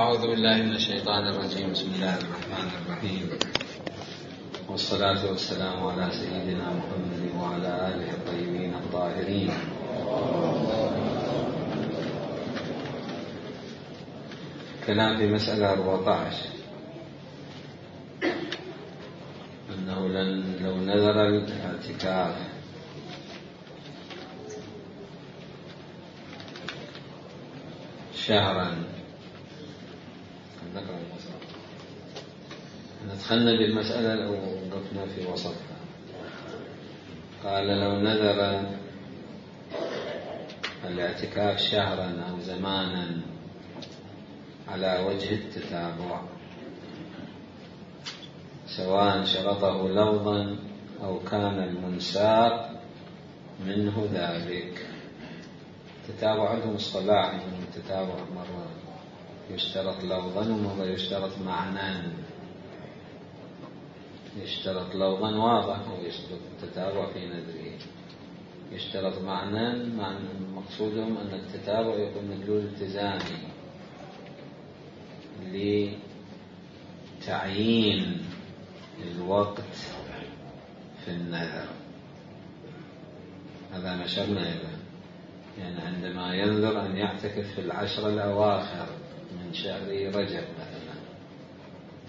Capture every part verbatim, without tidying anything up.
أعوذ بالله من الشيطان الرجيم. بسم الله الرحمن الرحيم، والصلاة والسلام على سيدنا محمد وعلى آله الطيبين الطاهرين. كلام في مسألة أربعة عشر، أنه لو نذر الاعتكاف شهرا، ندخلنا بالمسألة أو وقفنا في وسطها. قال لو نذر الاعتكاف شهرا أو زمانا على وجه التتابع، سواء شرطه لفظا أو كان المنساق منه ذلك. التتابع عندهم اصطلاح، التتابع مرة يشترط لفظا ومرة يشترط معنى. يشترط لفظا واضح ويشترط التتابع في نذره. يشترط معنى، معنى مقصودهم أن التتابع يكون مدلول التزامي لتعيين الوقت في النذر. هذا نشرنا إذا يعني عندما ينذر أن يعتكف في العشر الأواخر من شهر رجب مثلا،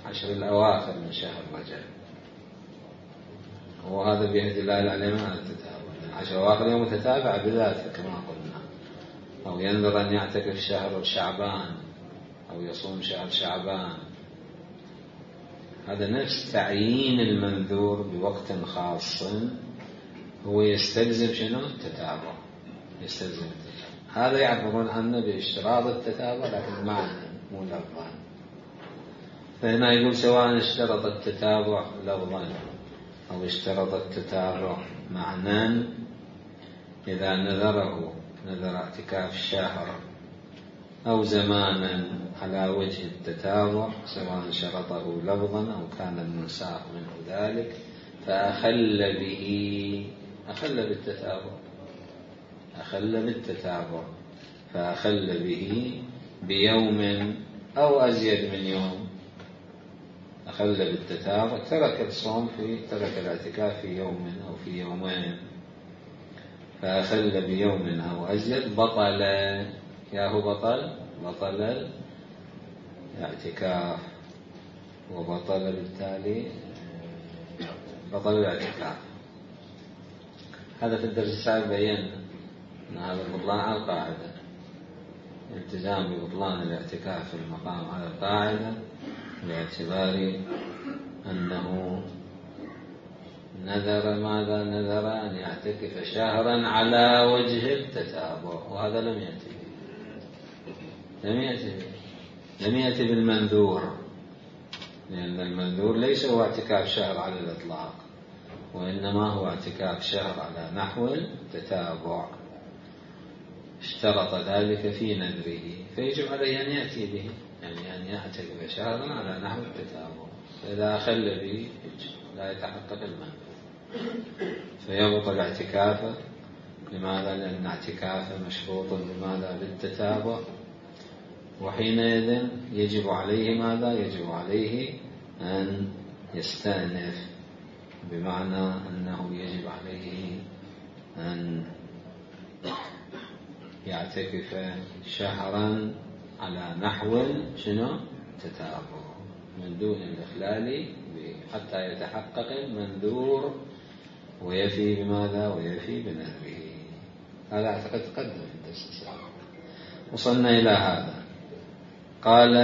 عشر الأواخر من شهر رجب، وهذا به دلالة عليه مع التتابع. العشر الأواخر يوم متتابع بذاته كما قلنا. أو ينذر أن يعتكف شهر شعبان أو يصوم شهر شعبان، هذا نفس تعيين المنذور بوقت خاص، هو يستلزم شنو؟ التتابع. يستلزم التتابع. هذا يعبرون عنه باشتراط التتابع لكن معنى مو لفظا. فهنا يقول سواء اشترط التتابع لفظا أو اشترط التتابع معنى، إذا نذره نذر اعتكاف شهر أو زمانا على وجه التتابع، سواء شرطه لفظا أو كان المنساق منه ذلك، فأخل به، أخل بالتتابع، أخل بالتتابع فأخل به بيوم أو أزيد من يوم. أخل بالتتابع، ترك الصوم في ترك الاعتكاف في يوم أو في يومين، فأخل بيوم أو أزيد بطل، يا هو بطل بطل الاعتكاف، وبطل بالتالي بطل الاعتكاف. هذا في الدرس السابق بينا أن هذا البطلان على القاعدة، الالتزام ببطلان الاعتكاف في المقام على القاعدة، باعتبار أنه نذر ماذا؟ نذر أن يعتكف شهرا على وجه التتابع، وهذا لم يأتي لم يأتي لم يأتي بالمنذور، لأن المنذور ليس هو اعتكاف شهر على الإطلاق، وإنما هو اعتكاف شهر على نحو التتابع. اشترط ذلك في نذره، فيجب عليه أن يأتي به، يعني أن يعتكف شهرا على نحو التتابع. فإذا أخل به لا يتحقق المنذور، فيبطل اعتكافه. لماذا؟ لأن اعتكافه مشروط بماذا؟ بالتتابع، وحينئذ يجب عليه ماذا؟ يجب عليه أن يستأنف، بمعنى أنه يجب عليه أن يعتكف شهرا على نحو شنو؟ تتابع، من دون الإخلال، حتى يتحقق المنذور ويفي بماذا؟ ويفي بنذره. هذا أعتقد تقدم في الدرس السابق. وصلنا إلى هذا. قال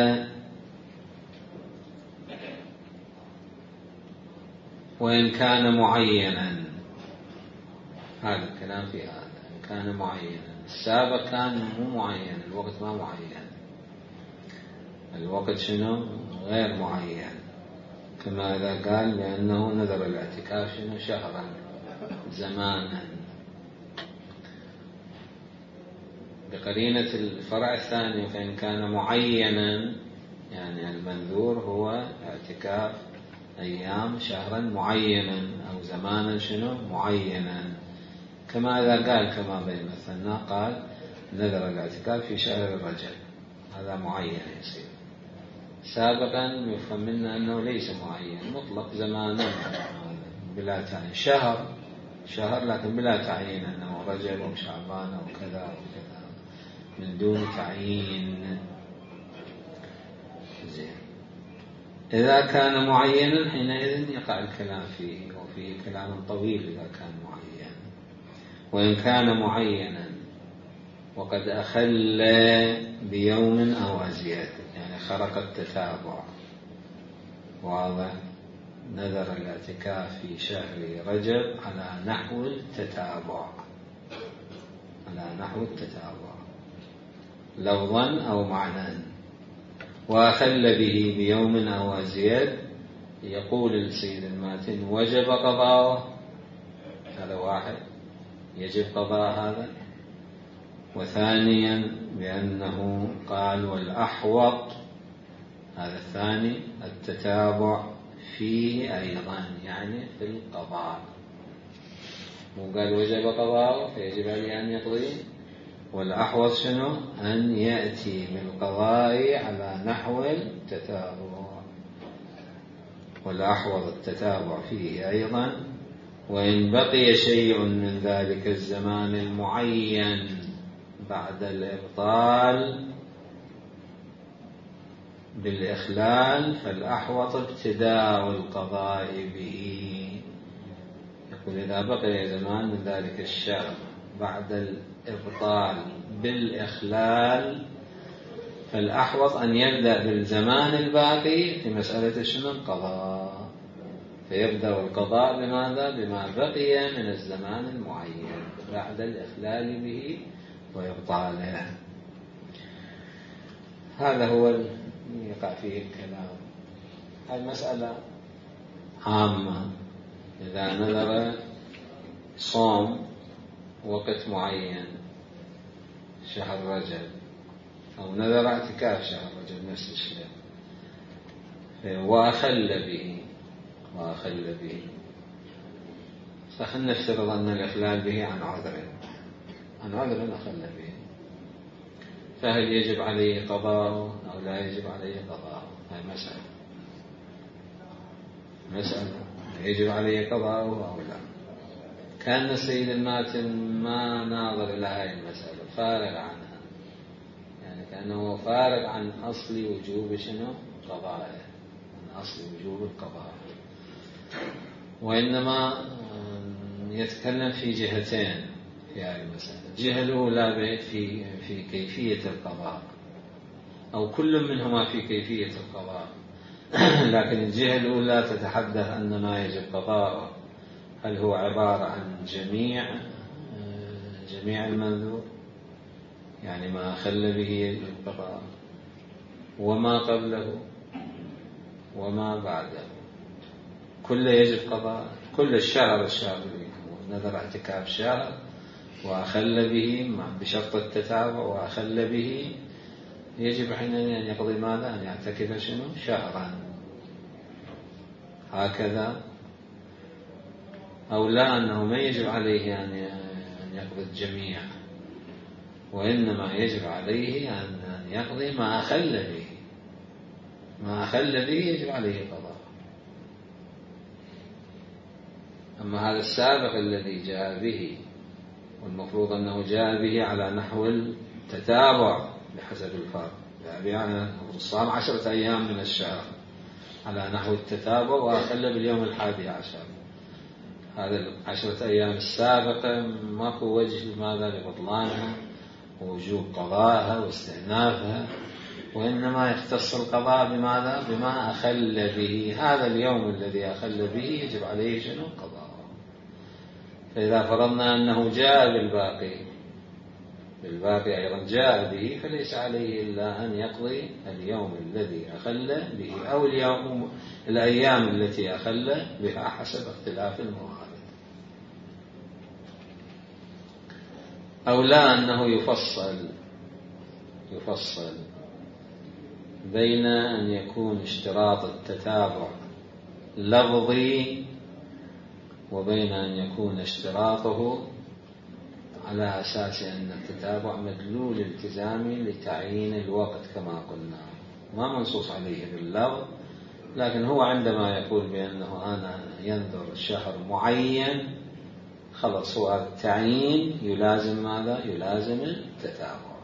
وإن كان معينا، هذا الكلام في هذا، إن كان معينا. السابق كان مو معين، الوقت ما معين، الوقت شنو؟ غير معين، كما إذا قال بأنه نذر الاعتكاف شنو؟ شهرا زمانا، بقرينة الفرع الثاني. فإن كان معينا يعني المنذور هو اعتكاف أيام شهرا معينا أو زمانا شنو؟ معينا، كما إذا قال كما بين مثلنا، قال نذر الاعتكاف في شهر الرجب، هذا معين يصير. سابقا يفهم منا أنه ليس معين، مطلق زمانا بلا تعيين، شهر شهر لكن بلا تعيين أنه رجب أو شعبان أو كذا أو كذا، من دون تعيين. زين. إذا كان معينا حينئذ يقع الكلام فيه، وفيه كلام طويل إذا كان معين. وإن كان معينا وقد أخل بيوم أو أزيد، يعني خرق التتابع، واضح، نذر الاعتكاف في شهر رجب على نحو التتابع، على نحو التتابع لفظا أو معنى، وأخل به بيوم أو أزيد، يقول السيد الماتن وجب قضاءه، هذا واحد يجب قضاء هذا. وثانيا بأنه قال والأحوط، هذا الثاني التتابع فيه أيضا، يعني في القضاء، مو قال وجب قضاءه فيجب عليه أن يقضي، والأحوط شنو؟ أن يأتي بالقضاء على نحو التتابع، والأحوط التتابع فيه أيضا. وإن بقي شيء من ذلك الزمان المعين بعد الإبطال بالإخلال فالأحوط ابتداء القضاء به. يقول إذا بقي زمان من ذلك الشهر بعد الإبطال بالإخلال فالأحوط أن يبدأ بالزمان الباقي في مسألة شنو؟ القضاء، فيبدأ القضاء بماذا؟ بما بقي من الزمان المعين بعد الإخلال به وإبطاله. هذا هو يقع فيه الكلام. هذه مسألة عامة. إذا نذر صوم وقت معين شهر رجب، أو نذر اعتكاف شهر رجب نفس الشيء، وأخل به وأخل به فخلنا نفترض أن الإخلال به عن عذر، عن عذر أخل به، فهل يجب عليه قضاءه أو لا يجب عليه قضاءه؟ هذه مسألة مسألة يجب عليه قضاءه أو لا. كان السيد الماتن ما ناظر إلى هذه المسألة، فارغ عنها، يعني كأنه فارغ عن أصل وجوب شنو؟ قضائه، عن أصل وجوب القضاء، وإنما يتكلم في جهتين في هذه المسألة. الجهة الأولى في في كيفية القضاء، أو كل منهما في كيفية القضاء، لكن الجهة الأولى تتحدث أن ما يجب قضاءه هل هو عبارة عن جميع جميع المنذور، يعني ما أخل به القضاء، وما قبله وما بعده، كل يجب قضاء، كل الشهر الشهر نذر اعتكاف شهر وأخل به بشرط التتابع وأخل به، يجب حينئذ أن يقضي ماذا؟ أن يعتكف شنو؟ شهرا، هكذا. أو لا، أنه ما يجب عليه أن يقضي الجميع، وإنما يجب عليه أن يقضي ما أخل به، ما أخل به يجب عليه قضاء. أما هذا السابق الذي جاء به، والمفروض أنه جاء به على نحو التتابع بحسب الفرق، يعني الصام عشرة أيام من الشهر على نحو التتابع وأخل باليوم الحادي عشر، هذا العشرة أيام السابقة ماكو وجه لماذا؟ لبطلانها ووجوب قضائها واستئنافها، وإنما يختص القضاء بماذا؟ بما أخل به. هذا اليوم الذي أخل به يجب عليه شنو؟ قضاء. فإذا فرضنا أنه جاء بالباقي بالباقي أيضا جاء به، فليس عليه إلا أن يقضي اليوم الذي أخل به، أو اليوم الأيام التي أخل بها حسب اختلاف الموارد. أو لا، أنه يفصل يفصل بين أن يكون اشتراط التتابع لفظي وبين أن يكون اشتراطه على أساس أن التتابع مدلول التزامي لتعيين الوقت كما قلنا. ما منصوص عليه باللفظ، لكن هو عندما يقول بأنه أنا ينذر شهر معين خلص هو التعيين يلازم ماذا؟ يلازم التتابع.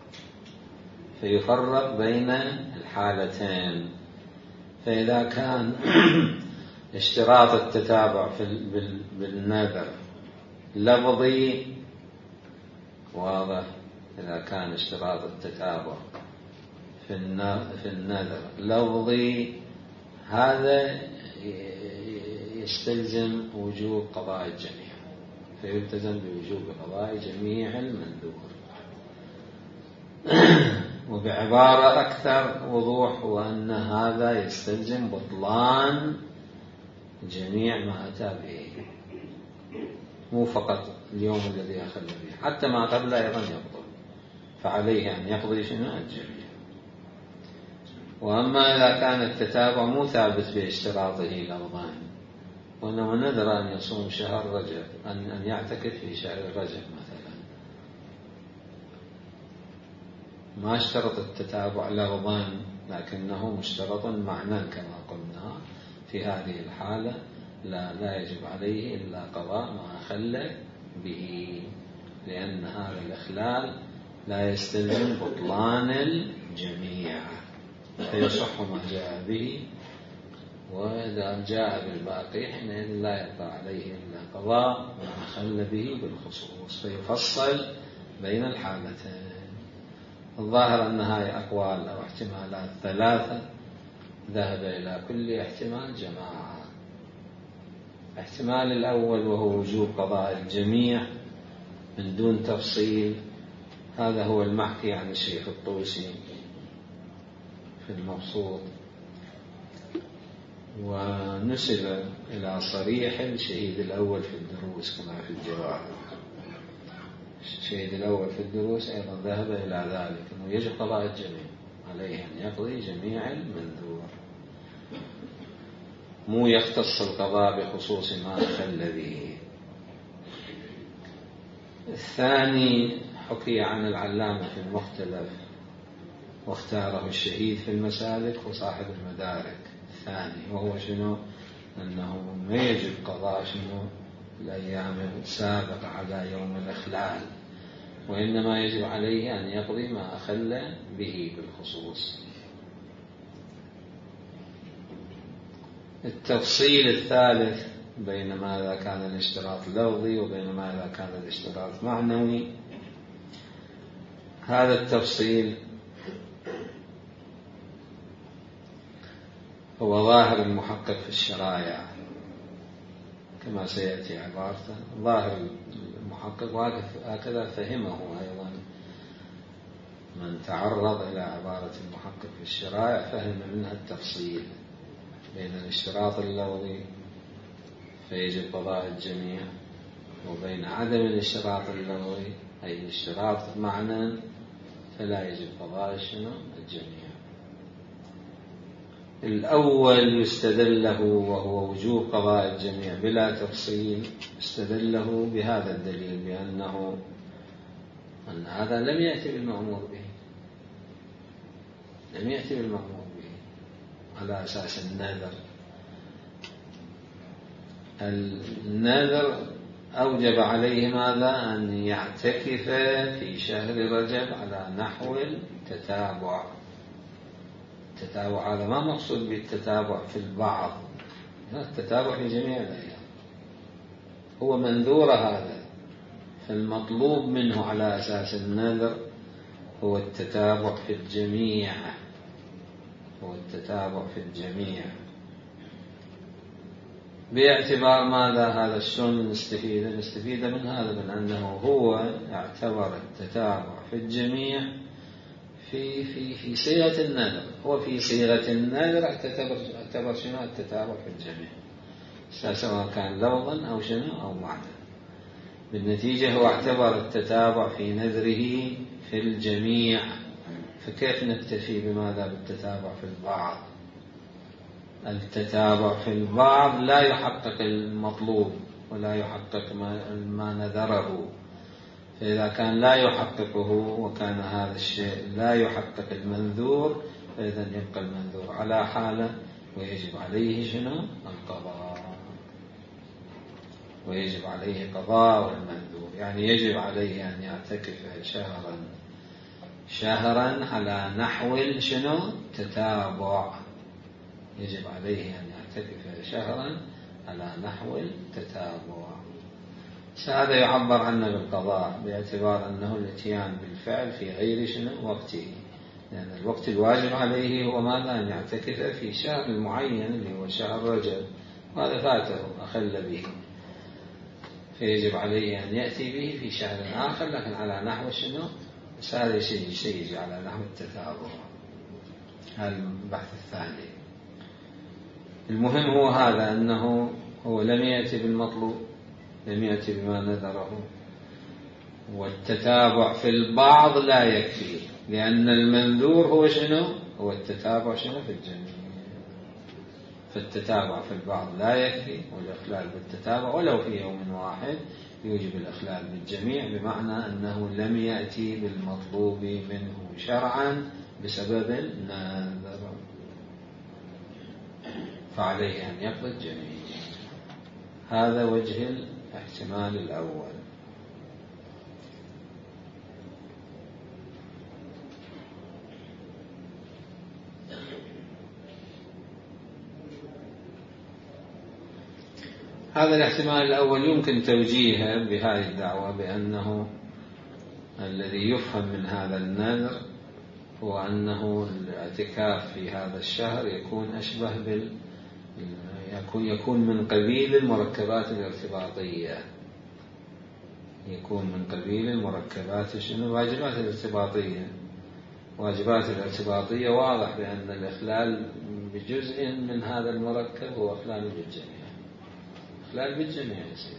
فيفرق بين الحالتين. فإذا كان اشتراط التتابع بالنذر لفظي واضح، إذا كان اشتراط التتابع في النذر لفظي هذا يستلزم وجوب قضاء الجميع، فيلتزم بوجوب قضاء جميع المنذور. وبعبارة أكثر وضوح هو أن هذا يستلزم بطلان جميع ما أتى به، مو فقط اليوم الذي أخل به، حتى ما قبل أيضا يبطل، فعليه أن يقضي شنو الجميع. وأما إذا كان التتابع مو ثابت باشتراطه لفظا، وإنما نذر أن يصوم شهر رجب، أن أن يعتكف في شهر رجب مثلا، ما اشترط التتابع لفظا لكنه مشترط معنى كما قلنا، في هذه الحالة لا لا يجب عليه إلا قضاء ما أخل به، لأن هذا الإخلال لا يستلزم بطلان الجميع، فيصح ما جاء به. وإذا جاء بالباقي حينئذ لا يبقى عليه إلا قضاء ما أخل به بالخصوص، فيفصل بين الحالتين. الظاهر أن هذه أقوال أو احتمالات ثلاثة ذهب إلى كل احتمال جماعة. الاحتمال الأول وهو وجوب قضاء الجميع من دون تفصيل، هذا هو المحكي عن الشيخ الطوسي في المبسوط، ونسب إلى صريح الشهيد الأول في الدروس كما في الجواهر. الشهيد الأول في الدروس أيضا ذهب إلى ذلك، أنه يجب قضاء الجميع، عليه أن يقضي جميع المنذور، مو يختص القضاء بخصوص ما أخل به. الثاني حكي عن العلامة في المختلف واختاره الشهيد في المسالك وصاحب المدارك الثاني، وهو شنو؟ أنه ما يجب قضاء شنو الأيام السابقة على يوم الإخلال، وإنما يجب عليه أن يقضي ما أخل به بالخصوص. التفصيل الثالث بين ماذا كان الاشتراط لفظي وبين ماذا كان الاشتراط معنوي، هذا التفصيل هو ظاهر المحقق في الشرائع كما سيأتي عبارته. ظاهر المحقق وهكذا فهمه أيضا من تعرض إلى عبارة المحقق في الشرائع، فهم منها التفصيل بين الاشتراط اللفظي فيجب قضاء الجميع، وبين عدم الاشتراط اللفظي أي الاشتراط معنى فلا يجب قضاء شنو الجميع. الأول يستدله وهو وجوب قضاء الجميع بلا تفصيل، استدله بهذا الدليل بأنه أن هذا لم يأتي بالمأمور به، لم يأتي بالمأمور به على أساس النذر. النذر أوجب عليه ماذا؟ أن يعتكف في شهر رجب على نحو التتابع. التتابع هذا ما مقصود بالتتابع في البعض، التتابع في جميع الأيام، هو منذور هذا، فالمطلوب منه على أساس النذر هو التتابع في الجميع، هو التتابع في الجميع. باعتبار ماذا هذا الشون نستفيد؟ نستفيد من هذا من أنه هو اعتبر التتابع في الجميع في في في صيغة النذر، هو في صيغة النذر اعتبر اعتبر شنو التتابع في الجميع، سواء كان لفظا أو شنو أو معنى. بالنتيجة هو اعتبر التتابع في نذره في الجميع، فكيف نكتفي بماذا بالتتابع في البعض؟ التتابع في البعض لا يحقق المطلوب ولا يحقق ما, ما نذره، فإذا كان لا يحققه وكان هذا الشيء لا يحقق المنذور فإذا يبقى المنذور على حاله ويجب عليه شنو؟ القضاء. ويجب عليه قضاء المنذور، يعني يجب عليه أن يعتكف شهرا شهرا على نحو شنو؟ تتابع. يجب عليه أن يعتكف شهرا على نحو التتابع. هذا يعبر عنه بالقضاء باعتبار أنه الاتيان بالفعل في غير شنو؟ وقته، لأن يعني الوقت الواجب عليه هو ماذا؟ أن يعتكف في شهر معين اللي هو شهر رجب، وهذا فاته أخل به، فيجب عليه أن يأتي به في شهر آخر لكن على نحو شنو؟ بس هذا شيء شيء يجي على نحو التتابع. هذا البحث الثاني. المهم هو هذا، أنه هو لم يأتي بالمطلوب، لم يأتي بما نذره، والتتابع في البعض لا يكفي، لأن المنذور هو شنو؟ هو التتابع شنو؟ في الجميع. فالتتابع في البعض لا يكفي، والإخلال بالتتابع ولو في يوم واحد يوجب الإخلال بالجميع، بمعنى أنه لم يأتي بالمطلوب منه شرعا بسبب النذر، فعليه أن يقضي الجميع. هذا وجه الاحتمال الأول. هذا الاحتمال الأول يمكن توجيهه بهذه الدعوة بأنه الذي يفهم من هذا النذر هو أنه الاعتكاف في هذا الشهر يكون أشبه بال يكون يكون من قبيل المركبات الارتباطية، يكون من قبيل المركبات شنو؟ الواجبات الارتباطية. واجبات الارتباطية واضح بأن الإخلال بجزء من هذا المركب هو إخلال بالجميع، إخلال بالجميع يصير.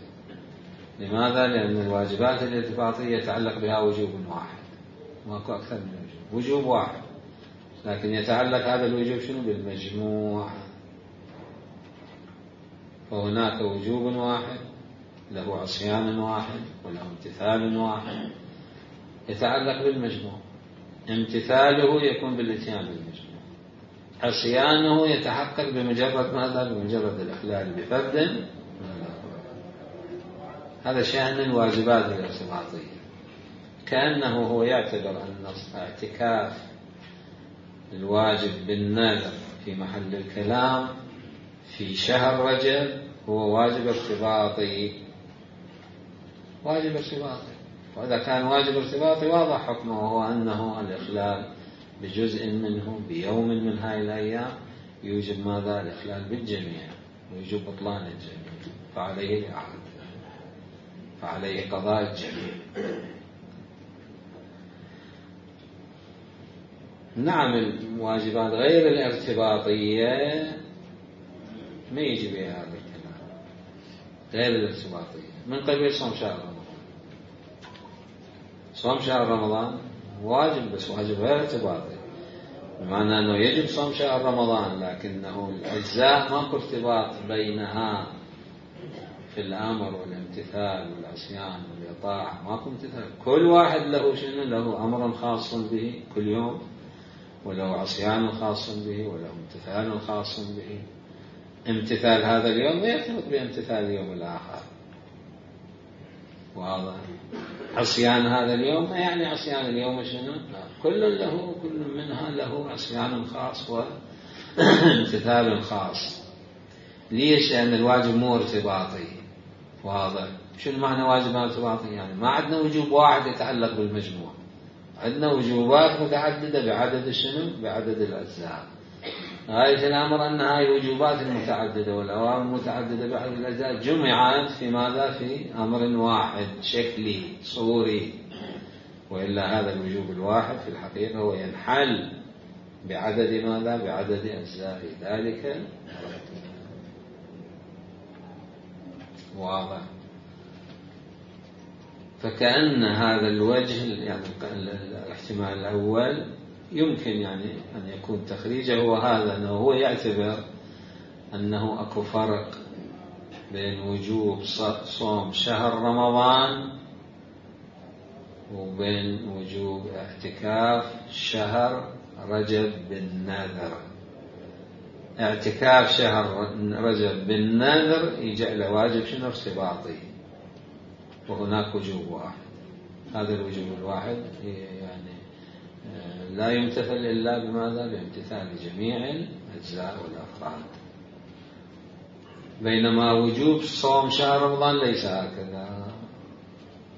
لماذا؟ لأن الواجبات الارتباطية يتعلق بها وجوب واحد، ماكو أكثر من وجوب، وجوب واحد، لكن يتعلق هذا الوجوب شنو؟ بالمجموع. فهناك وجوب واحد له عصيان واحد وله امتثال واحد يتعلق بالمجموع. امتثاله يكون بالاتيان بالمجموع، عصيانه يتحقق بمجرد ماذا؟ بمجرد الإخلال بفرد. هذا شأن الواجبات الارتباطية. كأنه هو يعتبر أن اعتكاف الواجب بالنذر في محل الكلام في شهر رجب هو واجب ارتباطي، واجب ارتباطي. وإذا كان واجب ارتباطي واضح حكمه، وهو أنه الإخلال بجزء منه بيوم من هاي الأيام يوجب ماذا؟ الإخلال بالجميع ويوجب بطلان الجميع، فعليه الإعادة، فعليه قضاء الجميع. نعم الواجبات غير الارتباطية ما يجي بها هذا الكلام، غير الارتباطية من قبيل صوم شهر رمضان. صوم شهر رمضان واجب، بس واجب غير ارتباطي، بمعنى أنه يجب صوم شهر رمضان، لكنه الأجزاء ماكو ارتباط بينها في الأمر والامتثال والعصيان والإطاعة، ماكو امتثال. كل واحد له شنو؟ له أمر خاص به كل يوم، وله عصيان خاص به، وله امتثال خاص به. امتثال هذا اليوم يرتبط بامتثال اليوم الآخر، واضح؟ عصيان هذا اليوم يعني عصيان اليوم شنو؟ كل له كل منها له عصيان خاص وامتثال خاص. ليش؟ لأن الواجب مو ارتباطي، واضح؟ شو المعنى واجب ارتباطي؟ يعني ما عندنا وجوب واحد يتعلق بالمجموع، عندنا وجوبات متعددة بعدد شنو؟ بعدد الأجزاء. غاية الأمر أن هاي الوجوبات المتعددة والأوامر المتعددة بعدد الأجزاء جمعت في ماذا؟ في أمر واحد شكلي صوري، وإلا هذا الوجوب الواحد في الحقيقة هو ينحل بعدد ماذا؟ بعدد أجزاء ذلك. واضح؟ فكأن هذا الوجه يعني الاحتمال الأول يمكن يعني أن يكون تخريجه هو هذا، أنه هو يعتبر أنه أكو فرق بين وجوب صوم شهر رمضان وبين وجوب اعتكاف شهر رجب بالنذر. اعتكاف شهر رجب بالنذر يجعله واجب شنو؟ ارتباطي، وهناك وجوب واحد. هذا الوجوب الواحد يعني لا يمتثل إلا بماذا؟ بامتثال جميع الأجزاء والأفراد. بينما وجوب صوم شهر رمضان ليس هكذا،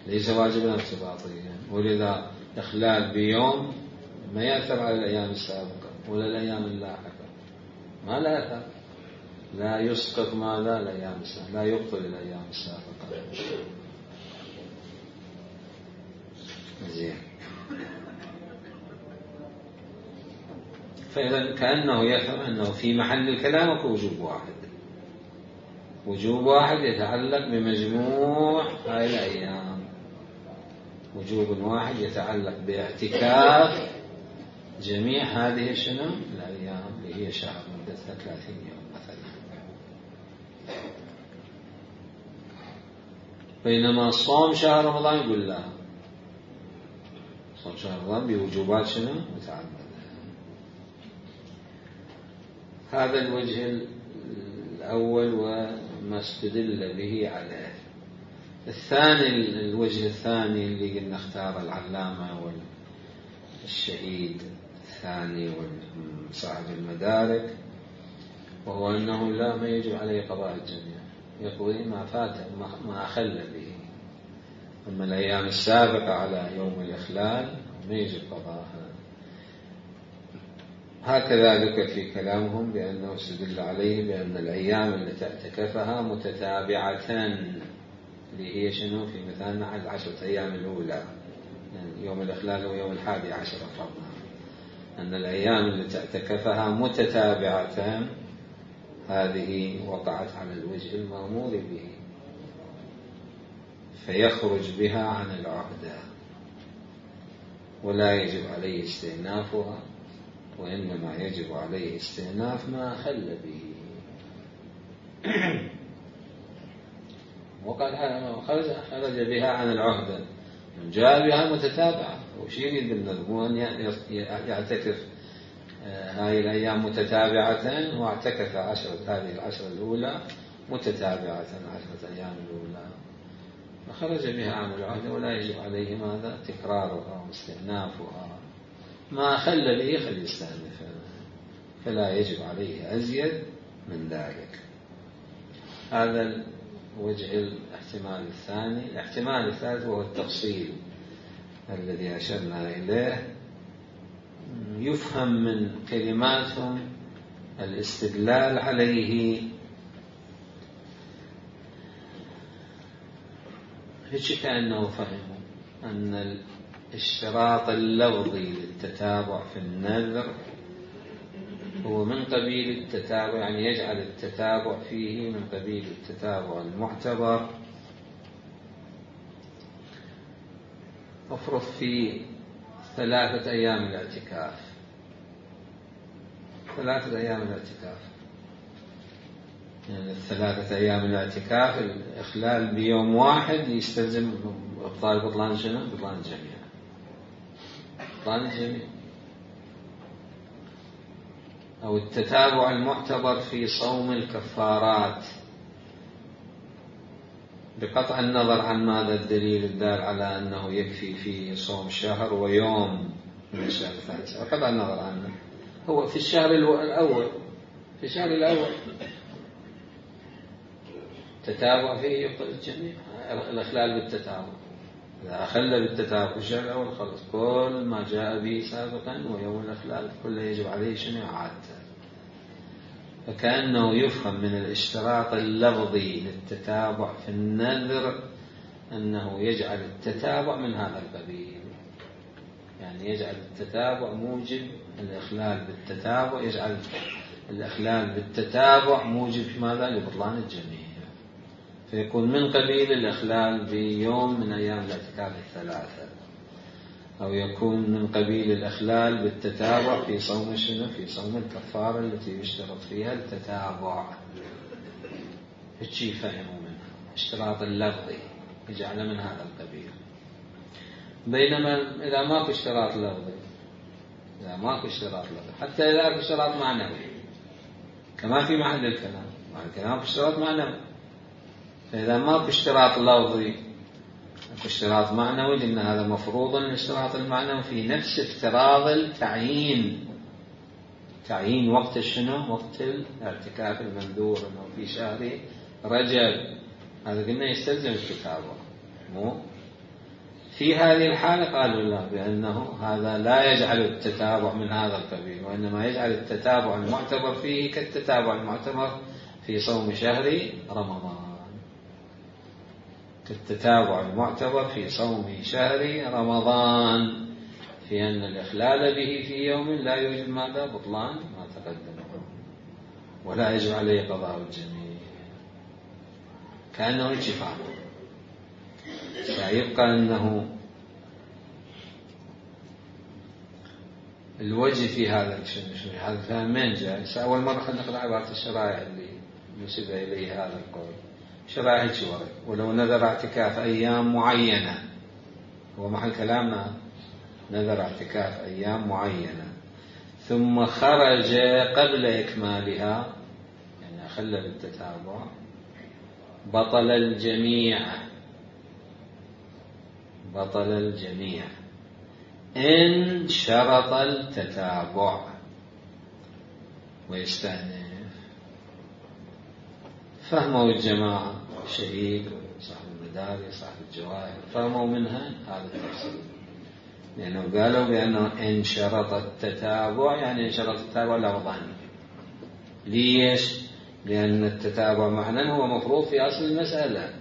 ليس واجبا ارتباطيا، ولذا إخلال بيوم ما يأثر على الأيام السابقة ولا الأيام اللاحقة، ما لا أثر، لا يسقط ماذا؟ الأيام السابقة، لا يبطل الأيام السابقة. زين. فإذا كأنه يفهم أنه في محل الكلام وجوب واحد، وجوب واحد يتعلق بمجموع هاي الأيام، وجوب واحد يتعلق باعتكاف جميع هذه شنو؟ الأيام اللي هي شهر مدتها ثلاثين يوم مثلا. بينما صوم شهر رمضان يقول لا، صوم شهر رمضان بوجوبات شنو؟ متعددة. هذا الوجه الأول وما استدل به عليه. الثاني، الوجه الثاني اللي قلنا اختار العلامة والشهيد الثاني وصاحب المدارك، وهو أنه لا، ما يجب عليه قضاء الجميع، يقضي ما فات ما أخل به. أما الأيام السابقة على يوم الإخلال ما يجب قضاءها. هكذا ذكر في كلامهم بأنه استدل عليه بأن الأيام التي اعتكفها متتابعة، اللي هي شنو؟ في مثالنا على العشرة أيام الأولى، يعني يوم الإخلال ويوم الحادي عشر فرضنا، أن الأيام التي اعتكفها متتابعة هذه وقعت على الوجه المأمور به، فيخرج بها عن العهدة ولا يجب عليه استئنافها، وإنما يجب عليه استئناف ما أخل به. وقال خرج بها عن العهدة، جاء بها متتابعة. وش يريد بالنذر؟ أن يعتكف هذه الأيام متتابعة، واعتكف عشرة هذه العشرة الأولى متتابعة، عشرة أيام الأولى، فخرج بها عن العهدة ولا يجب عليه ماذا؟ تكرارها واستئنافها. ما أخل به فليستأنف، فلا يجب عليه أزيد من ذلك. هذا وجه الاحتمال الثاني. الاحتمال الثالث وهو التفصيل الذي أشرنا إليه. يفهم من كلماتهم الاستدلال عليه هيك كأنه فهموا أن الاشتراط اللفظي للتتابع في النذر هو من قبيل التتابع، يعني يجعل التتابع فيه من قبيل التتابع المعتبر. افرض في ثلاثة أيام الاعتكاف، ثلاثة أيام الاعتكاف يعني الثلاثة أيام الاعتكاف الإخلال بيوم واحد يستلزم إبطال بطلان شنو؟ بطلان الجميع، بطلان الجميع. أو التتابع المعتبر في صوم الكفارات، بقطع النظر عن ماذا الدليل الدال على أنه يكفي في صوم شهر ويوم من الشهر الثالث، بقطع النظر عنه. هو في الشهر الأول، في الشهر الأول تتابع فيه يبطل الجميع، الإخلال بالتتابع. إذا أخل بالتتابع في الشهر الأول خلص كل ما جاء به سابقا ويوم الإخلال كله يجب عليه شنو؟ عادة. فكأنه يفهم من الاشتراط اللفظي للتتابع في النذر أنه يجعل التتابع من هذا القبيل، يعني يجعل التتابع موجب الإخلال بالتتابع، يجعل الإخلال بالتتابع موجب ماذا؟ لبطلان الجميع، فيكون من قبيل الإخلال بيوم من أيام الاعتكاف الثلاثة، أو يكون من قبيل الإخلال بالتتابع في صوم شنو؟ في صوم الكفارة التي يشترط فيها التتابع. هالشي فهموا منها اشتراط اللفظي يجعل من هذا القبيل. بينما إذا ماكو اشتراط لفظي إذا ماكو اشتراط لفظي، حتى إذا اكو اشتراط معنوي كما في محل الكلام، مع الكلام اشتراط معنوي. فإذا ماكو اشتراط لفظي اكو اشتراط معنوي، لأن هذا مفروض الاشتراط المعنوي في نفس افتراض التعيين. تعيين وقت شنو؟ وقت الاعتكاف المنذور انه في شهر رجب، هذا قلنا يستلزم التتابع. مو في هذه الحالة قالوا لا، بأنه هذا لا يجعل التتابع من هذا القبيل، وإنما يجعل التتابع المعتبر فيه كالتتابع المعتبر في صوم شهر رمضان، كالتتابع المعتبر في صوم شهر رمضان، في أن الإخلال به في يوم لا يوجد ماذا؟ بطلان ما تقدم، ولا يجب عليه قضاء الجميع، كأنه اتفاق. فيبقى أنه الوجه في هذا الشيء، هذا الكلام من جاء؟ أول مرة خلينا نقرأ عبارة الشرائع اللي نسب إليه هذا القول. شرائع الشورى، ولو نذر اعتكاف أيام معينة، هو محل كلامنا، نذر اعتكاف أيام معينة ثم خرج قبل إكمالها، يعني أخل بالتتابع، بطل الجميع، بطل الجميع إن شرط التتابع. ويستأنف فهموا الجماعة، الشهيد وصاحب المداري صاحب الجواهر، فهموا منها هذا التفسير، لأنه قالوا بأنه إن شرط التتابع يعني إن شرط التتابع لفظا. ليش؟ لأن التتابع معنى هو مفروض في أصل المسألة،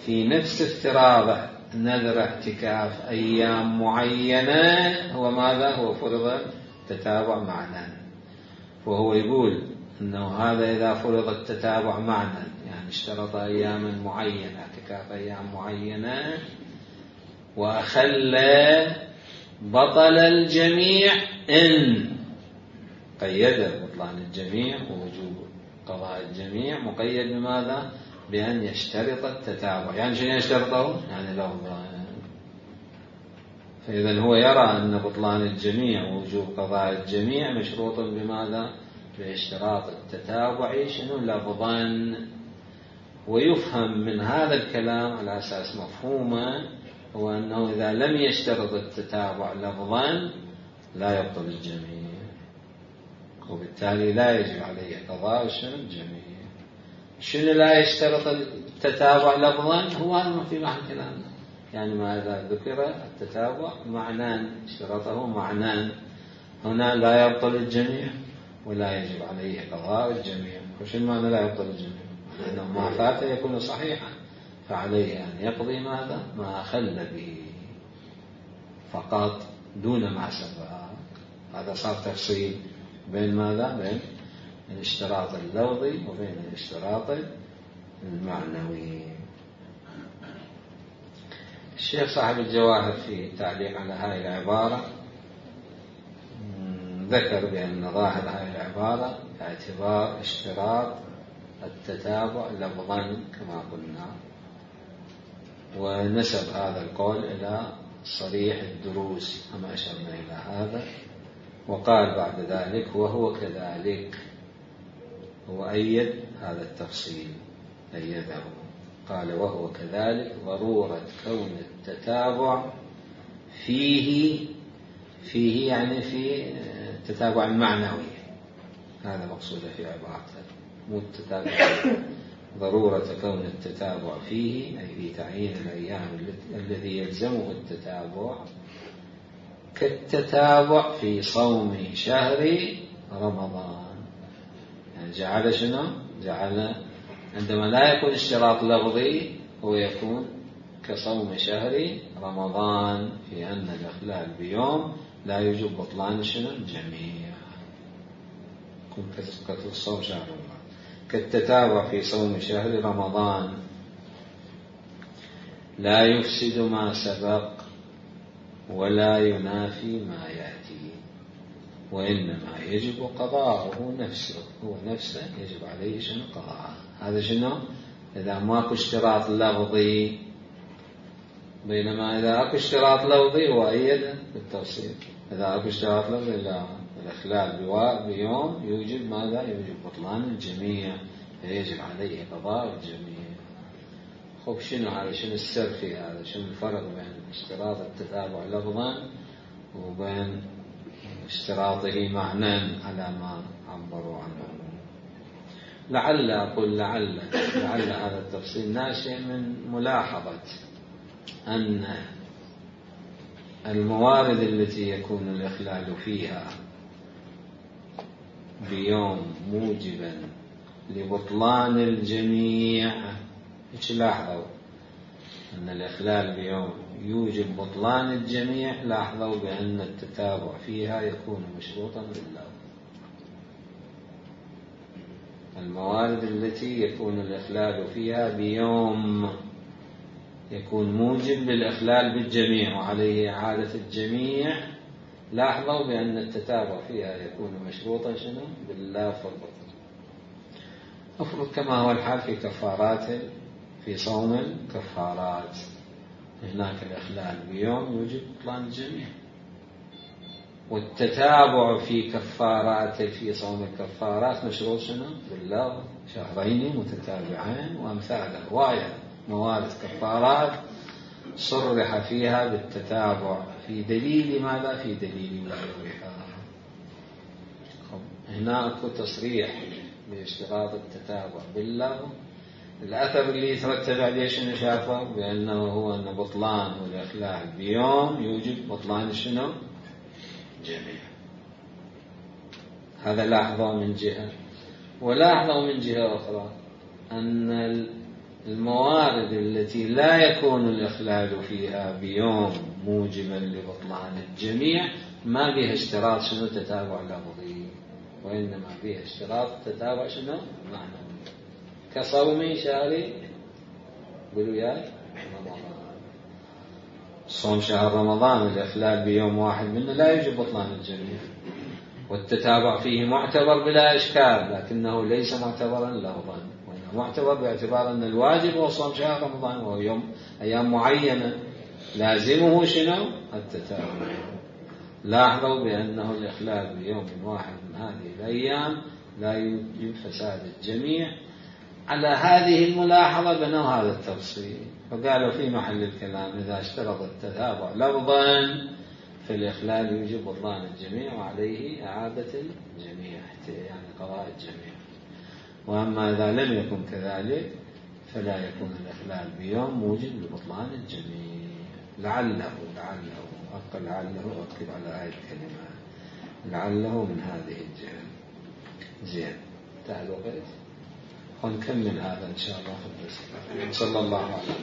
في نفس افتراض نذر اعتكاف أيام معينة، هو ماذا؟ هو فرض التتابع معنى. وهو يقول أنه هذا إذا فرض التتابع معنى، يعني اشترط أياما معينة، اعتكاف أيام معينة، وأخل بطل الجميع إن قيد بطلان الجميع ووجوب قضاء الجميع، مقيد بماذا؟ بأن يشترط التتابع. يعني شنو يشترطه؟ يعني لفظا. فإذا هو يرى أن بطلان الجميع ووجوب قضاء الجميع مشروط بماذا؟ باشتراط التتابع شنو؟ لفظا. ويفهم من هذا الكلام على أساس مفهومه هو أنه إذا لم يشترط التتابع لفظا لا يبطل الجميع، وبالتالي لا يجب عليه قضاء شنو؟ الجميع. شنو لا يشترط التتابع لفظا؟ هو هذا في محل كلامنا، يعني ما إذا ذكر التتابع معنان، اشترطه معنان، هنا لا يبطل الجميع ولا يجب عليه قضاء الجميع. وشنو معنى لا يبطل الجميع؟ لأنه ما فات يكون صحيحا، فعليه أن يقضي ماذا؟ ما أخل به فقط دون ما سبق. هذا صار تفصيل بين ماذا؟ بين الاشتراط اللفظي وبين الاشتراط المعنوي. الشيخ صاحب الجواهر في تعليق على هذه العبارة ذكر بأن ظاهر هذه العبارة اعتبار اشتراط التتابع لفظا كما قلنا، ونسب هذا القول إلى صريح الدروس كما أشرنا إلى هذا. وقال بعد ذلك وهو كذلك، هو أيد هذا التفصيل، أيده، قال وهو كذلك ضرورة كون التتابع فيه، فيه يعني في التتابع المعنوي، هذا مقصود في عبارته، مو التتابع، ضرورة كون التتابع فيه أي في تعيين الأيام الذي يلزمه التتابع كالتتابع في صوم شهر رمضان. يعني جعل شنو؟ جعل عندما لا يكون اشتراط لفظي هو يكون كصوم شهر رمضان، في أن الإخلال بيوم لا يوجب بطلان شنو؟ الجميع، يكون كصوم شهر رمضان، كالتتابع في صوم شهر رمضان لا يفسد ما سبق ولا ينافي ما يأتي، وإنما يجب قضاءه نفسه، هو نفسه يجب عليه شنو؟ قضاءه. هذا شنو؟ إذا ماكو اشتراط لفظي، بينما إذا اكو اشتراط لفظي هو أيده بالتوصيل، إذا أكو اشتراط لفظي لا، الإخلال بيوم يوجب ماذا؟ يوجب بطلان الجميع، فيجب عليه قضاء الجميع. خب شنو هذا؟ شنو السر في هذا؟ شنو الفرق بين اشتراط التتابع لفظا وبين اشتراطه معنى على ما عبروا عنه؟ لعل أقول لعل لعل هذا التفصيل ناشئ من ملاحظة أن الموارد التي يكون الإخلال فيها بيوم موجبا لبطلان الجميع، إيش لاحظوا؟ أن الإخلال بيوم يوجب بطلان الجميع، لاحظوا بأن التتابع فيها يكون مشروطا بالله. الموارد التي يكون الإخلال فيها بيوم يكون موجب للإخلال بالجميع وعليه إعادة الجميع، لاحظوا بأن التتابع فيها يكون مشروطا شنو؟ بالله فالبطل. أفرض كما هو الحال في كفارات، في صوم الكفارات، هناك الإخلال بيوم يوجب بطلان الجميع، والتتابع في كفارات في صوم الكفارات مشروط شنو؟ بالله، شهرين متتابعين وأمثال رواية موارد كفارات صرح فيها بالتتابع في دليل ماذا؟ في دليل وجوبها. هنا أكو تصريح باشتراط التتابع بالله، الأثر اللي يترتب عليه شنو شافه؟ بأنه هو أن بطلان والإخلال بيوم يوجب بطلان شنو؟ جميع. هذا لاحظه من جهة، ولاحظه من جهة أخرى أن الموارد التي لا يكون الإخلال فيها بيوم موجبا لبطلان الجميع ما بها اشتراط شنو؟ تتابع لفظي، وإنما بها اشتراط تتابع شنو؟ معنوي، كصوم شهر قولوا ياي رمضان. صوم شهر رمضان الإخلال بيوم واحد منه لا يوجب بطلان الجميع، والتتابع فيه معتبر بلا إشكال، لكنه ليس معتبرا لفظا، وإنما معتبر باعتبار أن الواجب هو صوم شهر رمضان، وهو يوم أيام معينة لازمه شنو؟ التتابع. لاحظوا بأنه الإخلال بيوم واحد من هذه الأيام لا يوجب فساد الجميع. على هذه الملاحظة بنوا هذا التفصيل، فقالوا في محل الكلام إذا اشترط التتابع لفظا فالإخلال يوجب بطلان الجميع وعليه إعادة الجميع، يعني قضاء الجميع. وأما إذا لم يكن كذلك فلا يكون الإخلال بيوم موجب لبطلان الجميع. لعله لعله أقل لعله أكتب على آية الكلمات لعله من هذه الجهة. زين، تعالوا بيت ونكمل هذا إن شاء الله في الدرس. صلى الله عليه وسلم.